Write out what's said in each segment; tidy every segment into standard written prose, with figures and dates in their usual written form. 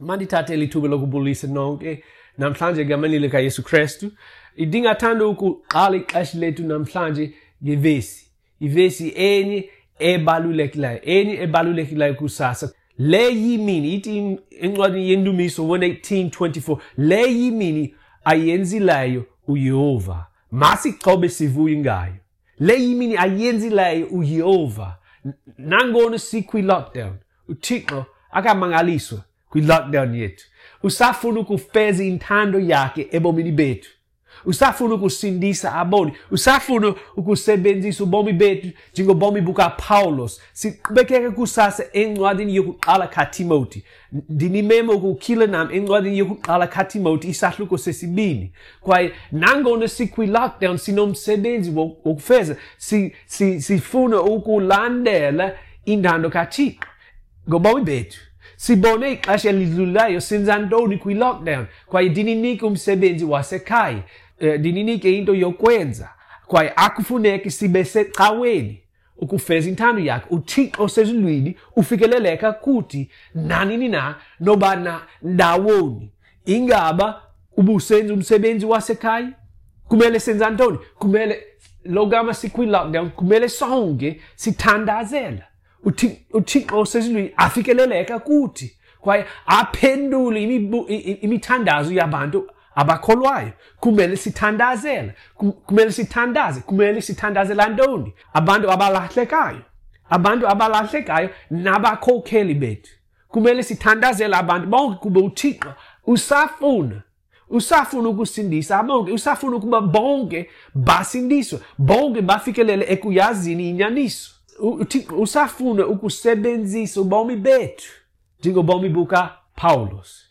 Mandithathe eli thuba lokubulisa nonke namhlanje egameni likaYesu Kristu. Ndingathanda ukuqala ixesha lethu namhlanje ngevesi. Ivesi enye ebalulekileyo, enye ebalulekileyo kusasa. Le yimini, ithi encwadini yeNdumiso 118:24, le yimini ayenzileyo uYehova. Masixhobe sivuye ngayo. Le yimini ayenzileyo uYehova. Nangona sikwi-lockdown, uThixo akamangaliswa kwi-lockdown yethu. Usafuna ukufeza intando yakhe ebomini bethu. Usafuna ukusindisa aboni. Usafuna ukusebenzisa ubomi bethu njengobomi bukaPawulos. Siqhubekeke kusasa encwadini yokuqala kaTimoti. Ndinimema ukukhila nam encwadini yokuqala kaTimoti isahluko sesibini. Kwaye nangona sikwi-lockdown sinomsebenzi wokufeza, sifuna ukulandela intando kaThixo ngobomi bethu. Sibone ixesha elidlulayo senza ntoni kwi-lockdown, kwaye ndininike umsebenzi wasekhaya, ndininike into yokwenza, kwaye akufuneki sibe secaweni ukufeza intando yakhe. UThixo osezulwini ufikeleleka kuthi nanini na, noba na ndawoni. Ingaba ubusenza umsebenzi wasekhaya? Kumele senza ntoni? Kumele logama sikwi-lockdown, kumele sonke sithandazela uThixo osezulwini afikeleleka kuthi kwaye aphendule imithandazo yabantu abakholwayo. Kumele sithandazele, kumele sithandaze, kumele sithandazela ntoni? Abantu abalahlekayo, abantu abalahlekayo nabakhokheli bethu. Kumele sithandazele abantu bonke kuba uThixo usafuna ukusindisa bonke, usafuna ukuba bonke basindiswe, bonke bafikelele ekuyazini inyaniso. uThixo usafuna ukusebenzisa ubomi bethu njengobomi bukaPawulos.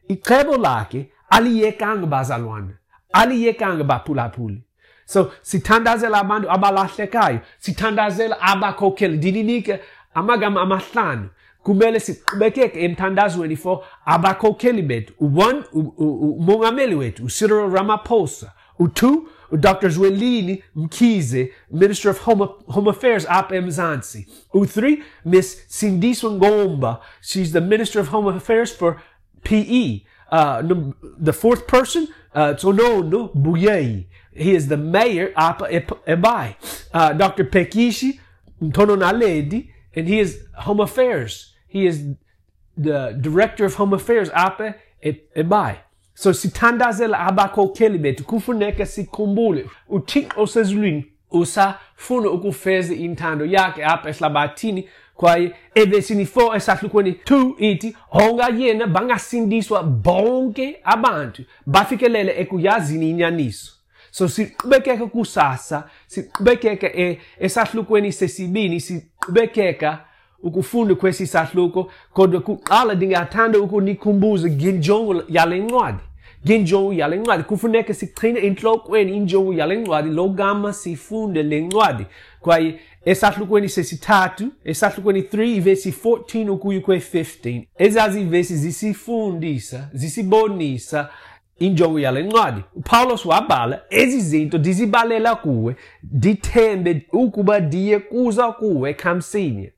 Icebo lakhe aliyekanga bazalwana, aliyekanga baphulaphuli. So sithandazela abantu abalahlekayo, sithandazela abakhokheli. Ndininike amagama amahlanu. Kumele siqhubekeke emthandazweni for abakhokheli bethu. U-1, umongameli wethu, uCyril Ramaphosa. U-2, uDr. Zwelini Mkhize, Minister of Home Affairs apha eMzantsi. U-3, Miss Sindiswa Ngomba, she's the Minister of Home Affairs for PE. The fourth person, Tsonono Buyei, he is the mayor apha eBhayi. Dr. Pekishi Ntono-Naledi, and he is Home Affairs. He is the Director of Home Affairs apha eBhayi. So sithandazela abakhokheli bethu, kufuneka sikhumbule uThixo osezulwini usafuna ukufeza intando yakhe apha ehlabathini. Kwaye evesini 4 esahlukweni 2 ithi honga yena bangasindiswa bonke abantu bafikelele ekuyazini inyaniso. So siqhubekeke kusasa, siqhubekeke esahlukweni sesibini, siqhubekeka ukufunda kwesi sahluko. Kodwa kuqala ndingathanda ukunikhumbuza ngenjongo yale ncwadi. Ngenjongo yale ncwadi kufuneka sigcine entlokweni injongo yale ncwadi logama sifunde le ncwadi. Kwaye esahlukweni sesithathu, esahlukweni 3 ivesi 14 ukuya kwe-15, ezazi ivesi zisifundisa, zisibonisa injongo yale ncwadi. uPawulos wabhala ezi zinto ndizibalela kuwe, ndithembe ukuba ndiye kuza kuwe kamsinya.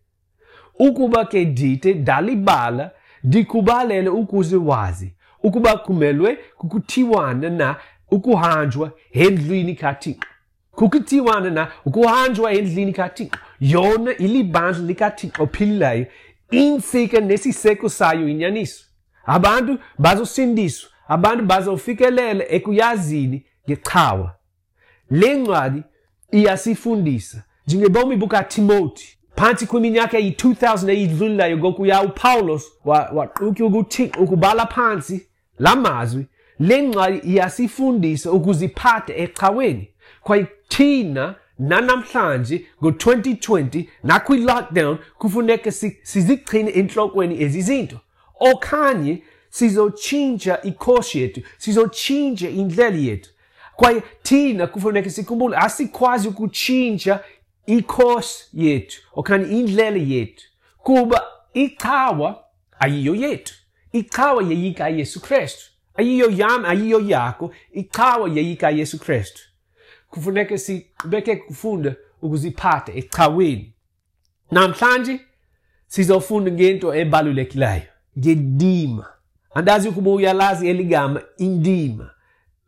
Ukuba ke ndithe ndalibala, ndikubalele ukuze wazi ukuba kumelwe kukuthiwana na ukuhanjwa endlwini kaThixo. Kukuthiwana na ukuhanjwa endlwini kaThixo. Yona ilibandla likaThixo ophilileyo, intsika nesiseko sayo inyaniso. Abantu bazosindiswa, abantu bazofikelela ekuyazini ngecawa. Le ncwadi iyasifundisa njengebomi bukaTimoti. Phantsi kwiminyaka eyi-2000 eyidlulileyo ngokuya uPawulos waqutywa nguThixo ukubhala phantsi la mazwi. Le ncwadi iyasifundisa ukuziphatha ecaweni. Kwaye thina nanamhlanje ngo-2020 nakwi-lockdown kufuneka sizigcine entlokweni ezi zinto, okanye sizotshintsha ikhosi yethu, sizotshintsha indlela yethu. Kwaye thina kufuneka sikhumbule asikwazi ukutshintsha ikhosi yethu okanye indlela yethu, kuba icawa ayiyo yethu. Icawa yeyikaYesu Kristu, ayiyo yam, ayiyo yakho. Icawa yeyikaYesu Kristu. Kufuneka siqhubeke kufunda ukuziphatha ecaweni. Namhlanje sizofunda ngento ebalulekileyo, ngendima. Andazi ukuba uyalazi eligama indima,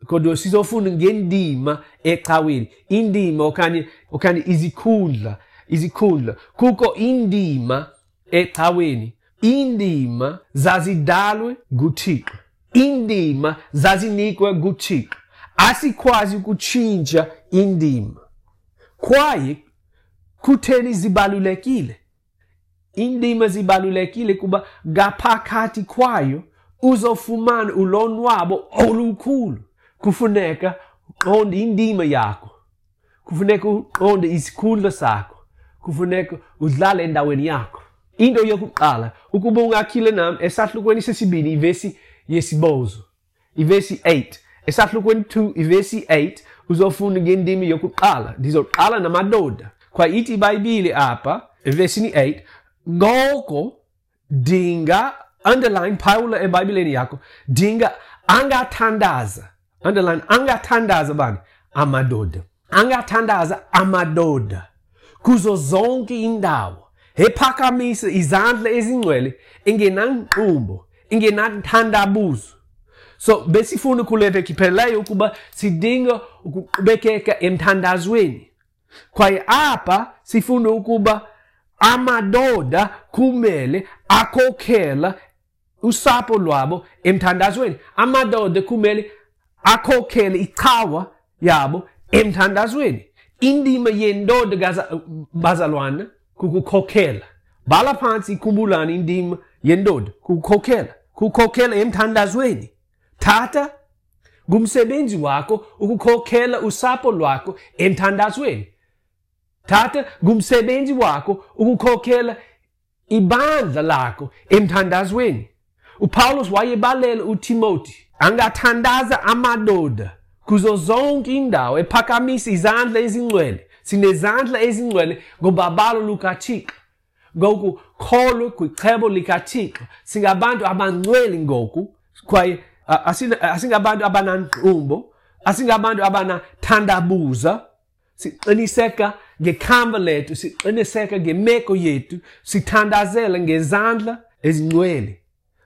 kodwa sizofunda ngendima ecaweni. Indima okanye izikhundla, izikhundla. Kukho indima ecaweni. Indima zazidalwe nguThixo. Indima zazinikwe nguThixo. Asikwazi ukutshintsha indima. Kwaye kutheni zibalulekile? Indima zibalulekile kuba ngaphakathi kwayo uzofumana ulonwabo olukhulu. Kufuneka uqonde indima yakho. Kufuneka uqonde isikhundla sakho. Kufuneka udlale endaweni yakho. Into yokuqala, ukuba ungakhile nam esahlukweni sesibini ivesi yesibhozo, ivesi 8. Esahlukweni 2 ivesi 8 uzofunda ngendima yokuqala. Ndizoqala namadoda. Kwaye ithi iBhayibhile apha evesini 8, ngoko dinga, underline, phawula eBhayibhileni yakho, dinga angathandaza, underline, angathandaza bani? Amadoda. Angathandaza amadoda kuzo zonke indawo, ephakamisa izandla ezingcwele, engenanqumbo, engenathandabuzo. So besifuna kule veki iphelileyo ukuba sidinga ukuqhubekeka emthandazweni. Kwaye apha sifuna ukuba amadoda kumele akhokhela usapho lwabo emthandazweni. Amadoda kumele akhokhele icawa yabo emthandazweni. Indima yendoda bazalwana kukukhokhela. Bhala phantsi, ikhumbulani indima yendoda kukukhokhela. Kukhokhela emthandazweni. Tata, ngumsebenzi wakho ukukhokhela usapho lwakho emthandazweni. Tata, ngumsebenzi wakho ukukhokhela ibandla lakho emthandazweni. uPaulus wayebalela uTimothy angathandaza amadoda kuzo zonke indawo, ephakamisa izandla ezingcwele. Sinezandla ezingcwele ngobabalo lukaThixo, ngokukholwa kwicebo likaThixo. Singabantu abangcwele ngoku, kwaye asingabantu abanangqumbo, asingabantu abanathandabuza. Siqiniseka ngekamva lethu, siqiniseka ngemeko yethu, sithandazela ngezandla ezingcwele.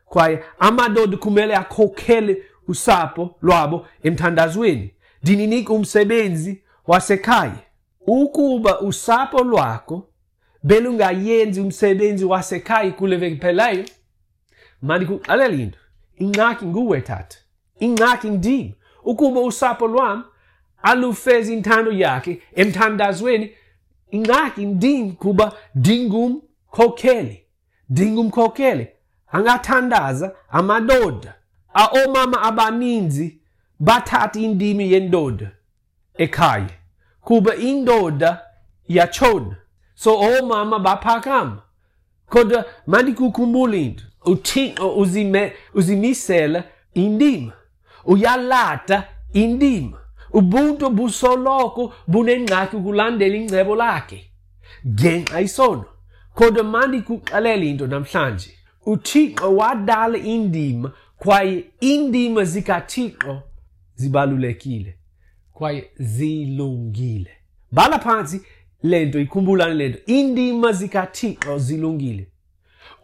Kwaye amadoda kumele akhokhele usapho lwabo emthandazweni. Ndininika umsebenzi wasekhaya. Ukuba usapho lwakho belungayenzi umsebenzi wasekhaya kule veki iphelayo, mandikuxelele into, ingxaki nguwe tata, ingxaki ndim. Ukuba usapho lwam alufezi intando yakhe emthandazweni, ingxaki ndim, kuba ndingumkhokheli, ndingumkhokheli. Angathandaza amadoda. Oomama abaninzi bathatha indima yendoda ekhaya, kuba indoda iyatshona. So oomama baphakama. Kodwa mandikukhumbule into, uThixo uzimisela indima, uyalata indima. Ubuntu busoloko bunengxaki ukulandela ingcebo lakhe ngenxa isono. Kodwa mandikuxelele into namhlanje, uThixo wadala indima, kwaye indima zikaThixo zibalulekile kwaye zilungile. Bhala phantsi le nto, ikhumbulane le nto, indima zikaThixo zilungile.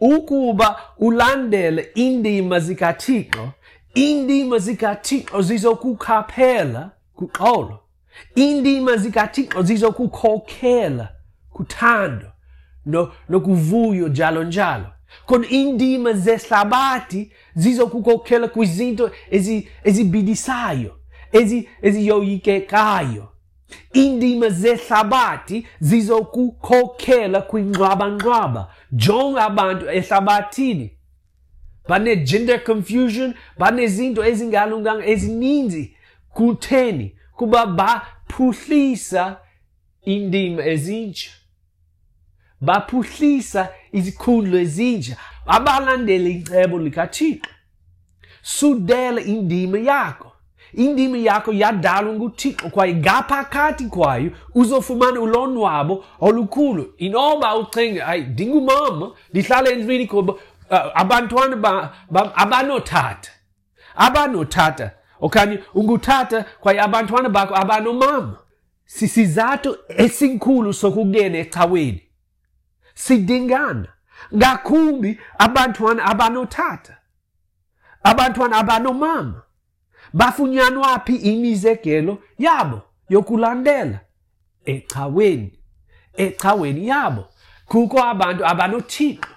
Ukuba ulandele indima zikaThixo, indima zikaThixo zizokukhaphela kuxolo. Indima zikaThixo zizokukhokhela kuthando nokuvuyo njalo njalo. Kodwa indima zehlabathi zizokukhokhela kwizinto ezibidisayo, eziyoyikekayo. Indima zehlabathi zizokukhokhela kwingxwabangxwaba. Jonga abantu ehlabathini, bane-gender confusion, banezinto ezingalunganga ezininzi. Kutheni? Kuba baphuhlisa indima ezintsha, baphuhlisa izikhundla ezintsha, abalandeli icebo likaThixo. Sudela indima yakho. Indima yakho yadalwa nguThixo, kwaye ngaphakathi kwayo uzofumana ulonwabo olukhulu. Inoba ucinga, hayi, ndingumama, ndihlala endlwini kuba abantwana abanotata, abanotata, okanye ungutata kwaye abantwana bakho abanomama. Sisizathu esikhulu sokungena ecaweni. Sidingana ngakumbi abantwana abanotata. Abantwana abanomama. Bafunyanwa phi imizekelo yabo yokulandela? Ecaweni. Ecaweni yabo. Kukho abantu abanoThixo,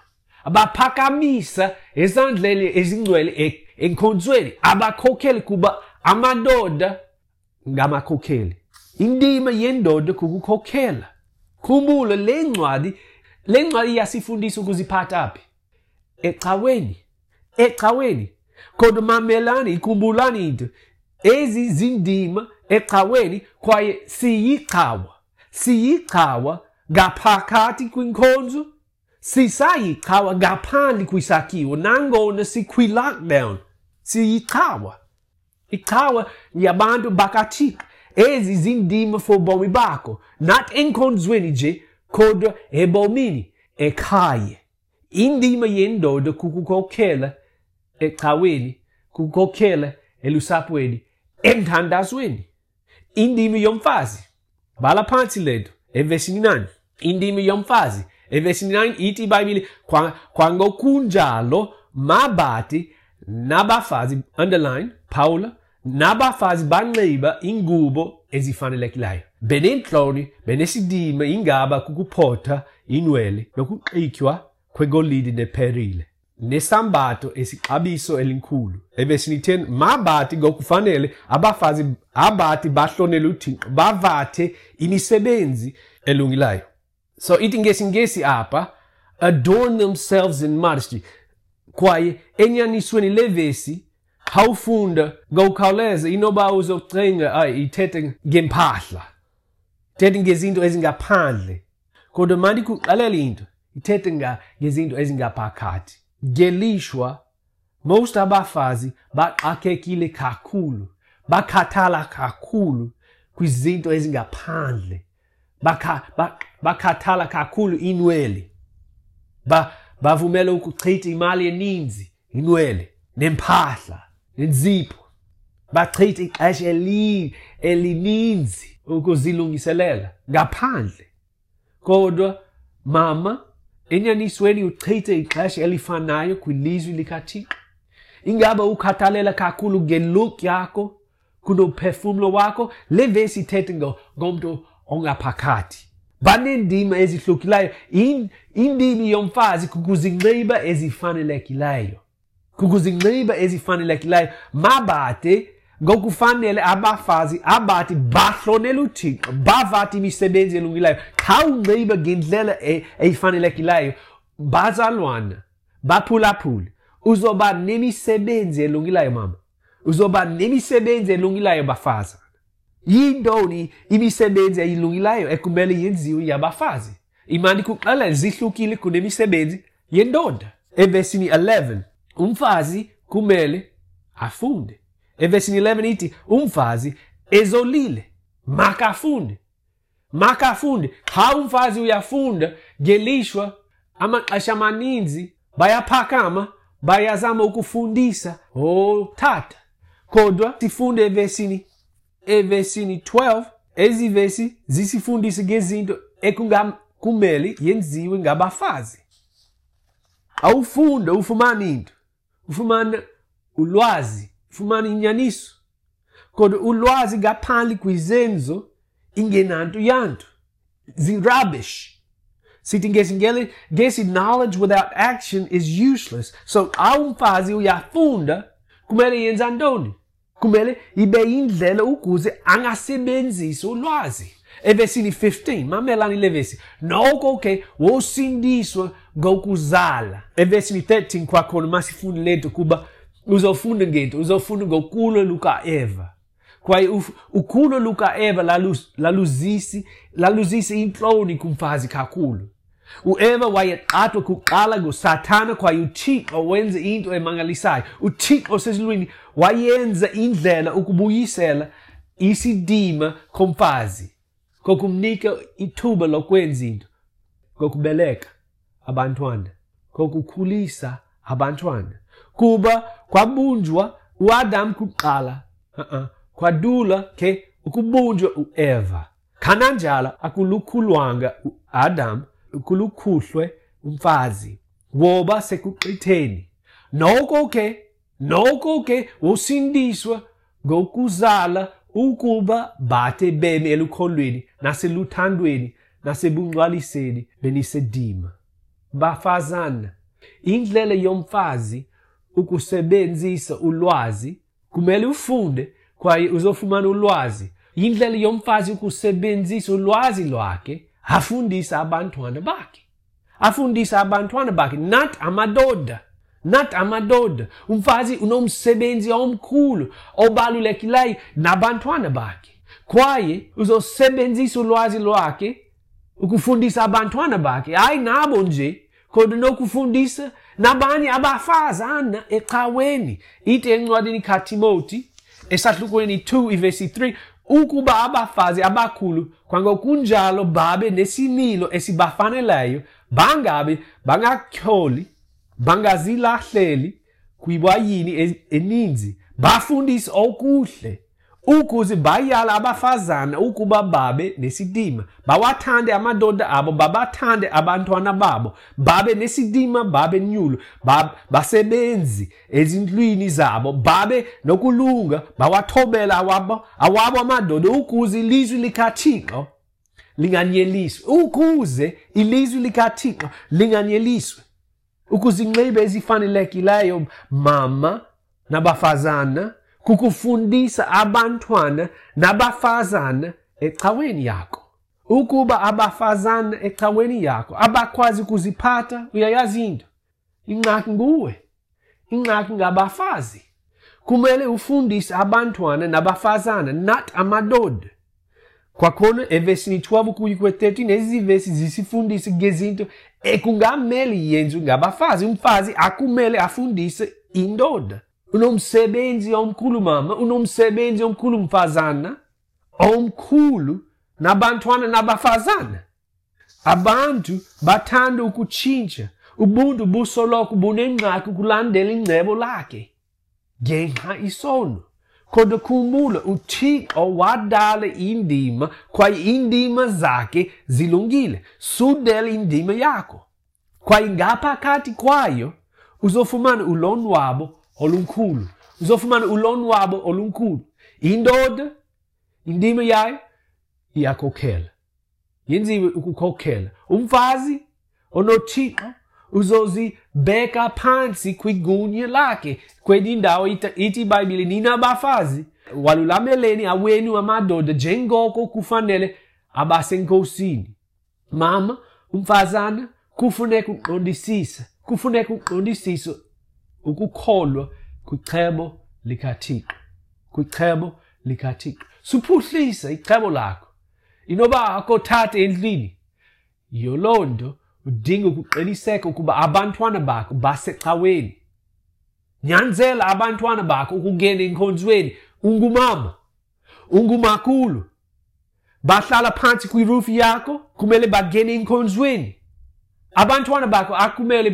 abaphakamisa ezandleni ezingcwele enkonzweni, abakhokheli, kuba amadoda ngamakhokheli. Indima yendoda kukukhokhela. Khumbula le ncwadi iyasifundisa ukuziphatha phi? Ecaweni. Ecaweni. Kodwa mamelani, ikhumbulani into. Ezi zindima ecaweni, kwaye siyicawa. Siyicawa ngaphakathi kwinkonzo, sisayicawa ngaphandle kwisakhiwo, nangona sikwi-lockdown. Siyicawa. Icawa yabantu bakaThixo. Ezi zindima for bomi bakho, not enkonzweni nje, kodwa ebomini, ekhaya. Indima yendoda kukukhokhela ecaweni, kukukhokhela elusapweni, emthandazweni. Indima yomfazi. Bhala phantsi le nto evesini 9. Indima yomfazi evesini 9 ithi iBhayibhile, kwangokunjalo mabathi nabafazi, underline, phawula, nabafazi banxiba ingubo ezifanelekileyo, beneentloni, benesidima, ingaba kukuphotha inwele nokuxitywa kwegolide neperile, nesambatho esixabiso elikhulu. Evesini 10, mabathi ngokufanele abafazi abathi bahlonele uThixo bavathe imisebenzi elungileyo. So ithi ngesiNgesi apha, adorn themselves in modesty. Kwaye enyanisweni le vesi khawufunda ngokukhawuleza, inoba uzocinga ayi ithethe ngempahla, ithethe ngezinto ezingaphandle. Kodwa mandikuxelele into, ithethe ngezinto ezingaphakathi. Ngelishwa, most abafazi baxakekile kakhulu, bakhathala kakhulu kwizinto ezingaphandle, bakhathala kakhulu inwele, bavumela ukuchitha imali eninzi inwele nempahla nenzipho, bachitha ixesha elininzi ukuzilungiselela ngaphandle. Kodwa mama, enyanisweni uchithe ixesha elifanayo kwilizwi likaThixo. Ingaba ukhathalela kakhulu ngelook yakho kunomphefumlo wakho? Le vesi ithethe ngomntu ongaphakathi. Baneendima ezihlukileyo. Indima yomfazi kukuzinxiba ezifanelekileyo. Kukuzinxiba ezifanelekileyo. Mabathe ngokufanele abafazi abathi bahlonele uThixo, bavathe imisebenzi elungileyo. Xa unxiba ngendlela eyifanelekileyo, bazalwana, baphulaphuli, uzoba nemisebenzi elungileyo mama. Uzoba nemisebenzi elungileyo bafazana. Yintoni imisebenzi eyilungileyo ekumele yenziwe yabafazi? Imani kuxelela zihlukile kunemisebenzi yendoda. Evesini 11, umfazi kumele afunde. Evesini 11 ithi umfazi ezolile makafunde. Makafunde. Xa umfazi uyafunda, ngelishwa amaxesha amaninzi bayaphakama, bayazama ukufundisa otata. Kodwa sifunde evesini 12, ezi vesi zisifundisa ngezinto ekungakumele yenziwe ngabafazi. Awufunda, ufumana into, ufumana ulwazi, ufumana inyaniso. Kodwa ulwazi ngaphandle kwizenzo ingenanto yanto, zi-rubbish. Sithi ngesi knowledge without action is useless. So xa umfazi uyafunda, kumele yenza ntoni? Kumele ibe indlela ukuze angasebenzisi ulwazi. Evesini 15, mamelani le vesi. Noko ke wosindiswa ngokuzala. Evesini 13 kwakhona masifunde le nto, kuba uzofunda ngento, uzofunda ngokulo lukaEva. Kwaye ukulo lukaEva laluzisa intloni kumfazi kakhulu. uEva wayeqathwa kuqala nguSathana, kwaye uThixo wenza into emangalisayo. uThixo osezulwini wayenza indlela ukubuyisela isidima komfazi, ngokumnika ithuba lokwenza into, ngokubeleka abantwana, ngokukhulisa abantwana. Kuba kwabunjwa uAdam kuqala, kwadula ke ukubunjwa uEva. Kananjalo akulukhulwanga uAdam, kulukhuhlwe umfazi, woba sekuxitheni. Noko ke, Noko ke wosindiswa ngokuzala ukuba bathe beme elukholweni naseluthandweni nasebungcwaliseni benisedima. Bafazana, indlela yomfazi ukusebenzisa ulwazi, kumele ufunde kwaye uzofumana ulwazi. Indlela yomfazi ukusebenzisa ulwazi lwakhe, afundisa abantwana bakhe. Afundisa abantwana bakhe, not amadoda. Not amadoda. Umfazi unomsebenzi omkhulu obalulekileyo nabantwana bakhe. Kwaye uzosebenzisa ulwazi lwakhe ukufundisa abantwana bakhe, hayi nabo nje, kodwa nokufundisa nabanye abafazana ecaweni. Ithi encwadini kaTimoti esahlukweni 2 ivesi 3, ukuba abafazi abakhulu kwangokunjalo babe nesimilo esibafaneleyo, bangabe bangatyholi, bangazilahleli kwiwayini eninzi, bafundise okuhle, ukuze bayala abafazana ukuba babe nesidima, bawathande amadoda abo, babathande abantwana babo, babe nesidima, babe nyulu, basebenzi ezindlwini zabo, babe nokulunga, bawathobela awabo amadoda, ukuze ilizwi likaThixo linganyeliswe, ukuze ilizwi likaThixo linganyeliswe. Ukuzinxiba ezifanelekileyo, mama nabafazana, kukufundisa abantwana nabafazana ecaweni yakho. Ukuba abafazana ecaweni yakho abakwazi ukuziphatha, uyayazi into. Ingxaki nguwe. Ingxaki ngabafazi. Kumele ufundise abantwana nabafazana, not amadoda. Kwakhona evesini 12 kuya kwe-13, ezi vesi zisifundise ngezinto ekungamele yenziwe ngabafazi. Umfazi akumele afundise indoda. Unomsebenzi omkhulu mama, unomsebenzi omkhulu mfazana, omkhulu nabantwana nabafazana. Abantu bathanda ukutshintsha. Ubuntu busoloko bunengxaki ukulandela ingcebo lakhe ngenxa isono. Kodwa khumbula, uThixo wadala indima kwaye indima zakhe zilungile. Sudela indima yakho kwaye ngaphakathi kwayo uzofumana ulonwabo olukhulu. Uzofumana ulonwabo olukhulu. Indoda, indima yayo iyakhokhela, yenziwe ukukhokhela. Umfazi onoThixo uzozibeka phantsi kwigunya lakhe. Kwenye indawo ithi iBhayibhile, nina bafazi walulameleni awenu amadoda njengoko kufanele abasenkosini. Mama, umfazana, kufuneka uqondisise, kufuneka uqondisise ukukholwa kwicebo likaThixo, kwicebo likaThixo. Suphuhlisa icebo lakho. Inoba akothatha endlini, yiyo loo nto udinga ukuqiniseka ukuba abantwana bakho basecaweni. Nyanzela abantwana bakho ukungena enkonzweni. Ungumama, ungumakhulu, bahlala phantsi kwirufu yakho, kumele bangene enkonzweni. Abantwana bakho akumele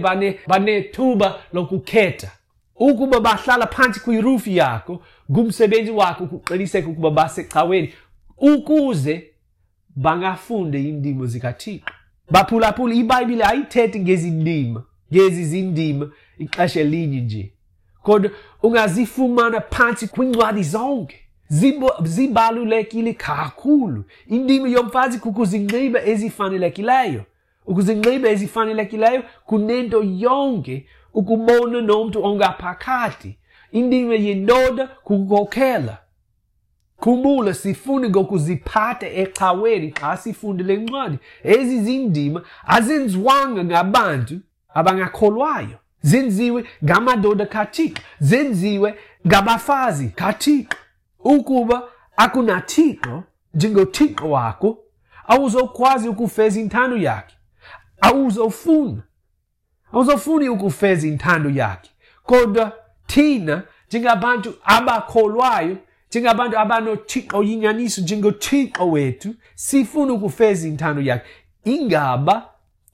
banethuba lokukhetha. Ukuba bahlala phantsi kwirufu yakho, ngumsebenzi wakho ukuqiniseka ukuba basecaweni, ukuze bangafunde iindima zikaThixo. Baphulaphula, iBhayibhile ayithethi ngezindima, ngezi zindima ixesha elinye nje, kodwa ungazifumana phantsi kwiincwadi zonke. Zibalulekile kakhulu. Indima yomfazi kukuzinxiba ezifanelekileyo. Ukuzinxiba ezifanelekileyo kunento yonke ukubona nomntu ongaphakathi. Indima yendoda kukukhokhela. Khumbula, sifune ngokuziphatha ecaweni xa sifunde le ncwadi. Ezi zindima azenziwanga ngabantu abangakholwayo, zenziwe ngamadoda kaThixo, zenziwe ngabafazi kaThixo. Ukuba akunaThixo njengoThixo wakho, awuzokwazi ukufeza intando yakhe. Awuzofuni ukufeza intando yakhe. Kodwa thina njengabantu abakholwayo, njengabantu abanoThixo oyinyaniso njengoThixo wethu, sifuna ukufeza intando yakhe. Ingaba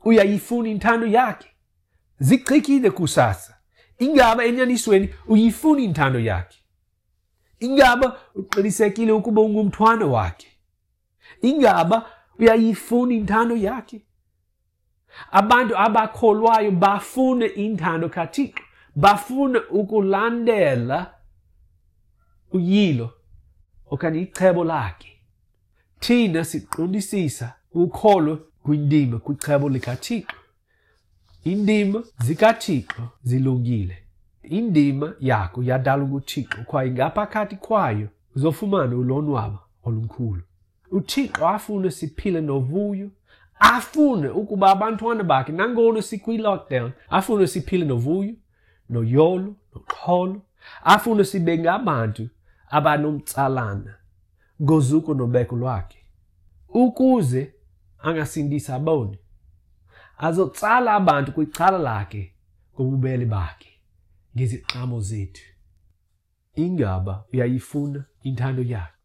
uyayifuna intando yakhe? Zichikile kusasa. Ingaba enyanisweni uyifuna intando yakhe? Ingaba uqinisekile ukuba ungumntwana wakhe? Ingaba uyayifuna intando yakhe? Abantu abakholwayo bafuna intando kaThixo, Bafuna ukulandela uyilo okanye icebo lakhe. Thina siqondisisa ukholo kwindima kwicebo likaThixo. Indima zikaThixo zilungile. Indima yakho yadalwa nguThixo kwaye ngaphakathi kwayo uzofumana ulonwabo olukhulu. UThixo afune siphile novuyo, afune ukuba abantwana bakhe nangona sikwi-lockdown, afune siphile novuyo, noyolo, noxolo, afune sibe ngabantu abanomtsalana ngozuko nobeko lwakhe, ukuze angasindisa aboni, azotsala abantu kwicala lakhe ngobubele bakhe ngeziqhamo zethu. Ingaba uyayifuna intando yakhe?